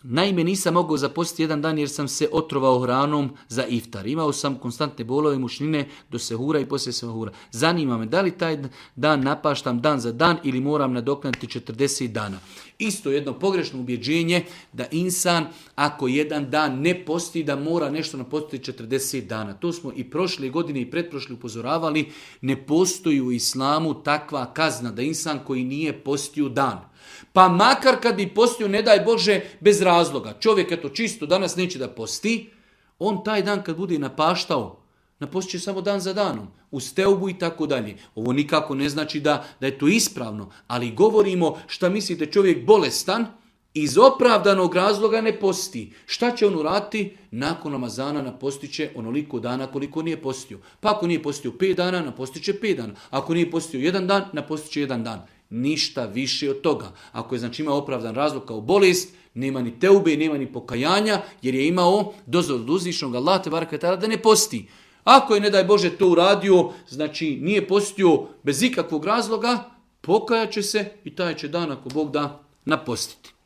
Naime, nisam mogao zapostiti jedan dan jer sam se otrovao hranom za iftar. Imao sam konstantne bolove mučnine do sehura i poslije sehura. Zanima me da li taj dan napaštam dan za dan ili moram nadoknaditi 40 dana. Isto jedno pogrešno ubjeđenje da insan ako jedan dan ne posti da mora nešto napostiti 40 dana. To smo i prošle godine i pretprošle upozoravali. Ne postoji u islamu takva kazna da insan koji nije postio dan. Pa makar kad bi postio, ne daj Bože, bez razloga. Čovjek eto čisto danas neće da posti, on taj dan kad bude napaštao, napostit će samo dan za danom, uz teubu i tako dalje. Ovo nikako ne znači da je to ispravno, ali govorimo šta mislite čovjek bolestan, iz opravdanog razloga ne posti. Šta će on uraditi? Nakon Ramazana napostit će onoliko dana koliko nije postio. Pa ako nije postio 5 dana, napostit će 5 dana. Ako nije postio 1 dan, napostit će 1 dan. Ništa više od toga. Ako je znači imao opravdan razlog kao bolest, nema ni teube, nema ni pokajanja, jer je imao dozvolu od uzvišnog Allaha te bareke ve taala da ne posti. Ako je, ne daj Bože, to uradio, znači nije postio bez ikakvog razloga, pokajat će se i taj će dan, ako Bog da, napostiti.